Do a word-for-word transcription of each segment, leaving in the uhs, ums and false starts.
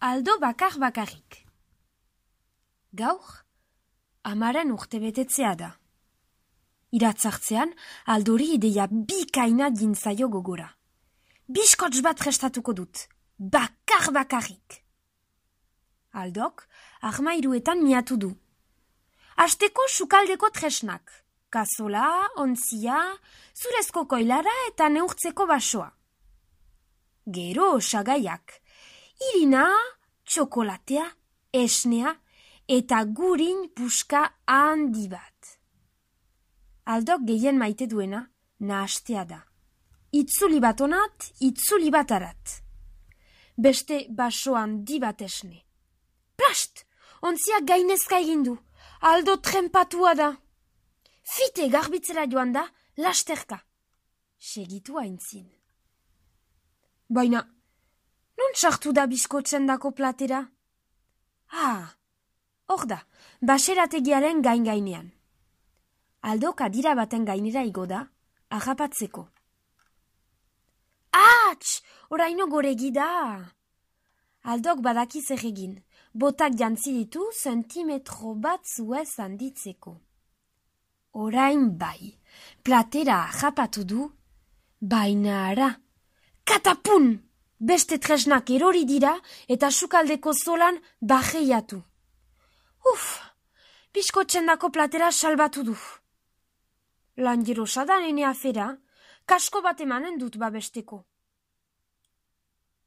Aldo bakar bakarrik. Gaur, amaren urte betetzea da. Iratzartzean, Aldori ideia bikaina dintzaio gogora. Biskots bat prestatuko dut, bakar bakarrik. Aldok, armairuetan miatu du. Asteko sukaldeko tresnak, kazola, ontzia, zurezko koilara eta neurtzeko basoa. Gero osagaiak, irina, txokolatea, esnea eta gurin puska handi bat. Aldok gehien maite duena nahastea da. Itzuli bat onat, itzuli bat arat. Beste baso handi bat esne. Plast! Ontzia gainezka egindu. Aldo trempatua da. Fite garbitzera joan da, lasterka. Segitu haintzin. Baina, non sartu da biskotzen dako platera? Ah, hor da, baserategiaren gain-gainean. Aldok adira baten gainera igo da, agapatzeko. Ats! Oraino goregi da! Aldok badaki zer egin, botak jantzi ditu zentimetro bat zuez handitzeko. Orain bai, platera agapatu du, baina ara, katapun! Beste tresnak erori dira eta sukaldeko zolan bajeiatu. Uf, biskotzen dako platera salbatu du. Lan jerosa da nene afera, kasko bat emanen dut babesteko.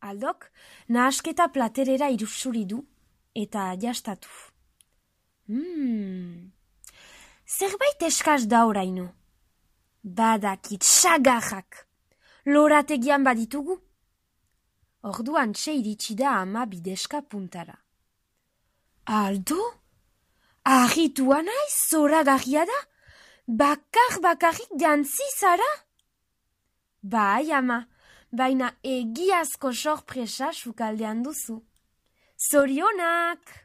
Aldok, nahasketa platerera irusuri du eta jastatu. Hmm, zerbait eskaz da oraino. Badakit sagarrak, lorategian baditugu. Orduan txe iritsi da ama bideska puntara. Aldo? Arritua naiz zoragarria da? Bakar bakarrik jantzi zara? Bai, ama, baina egiazko sorpresa sukaldean duzu. Zorionak!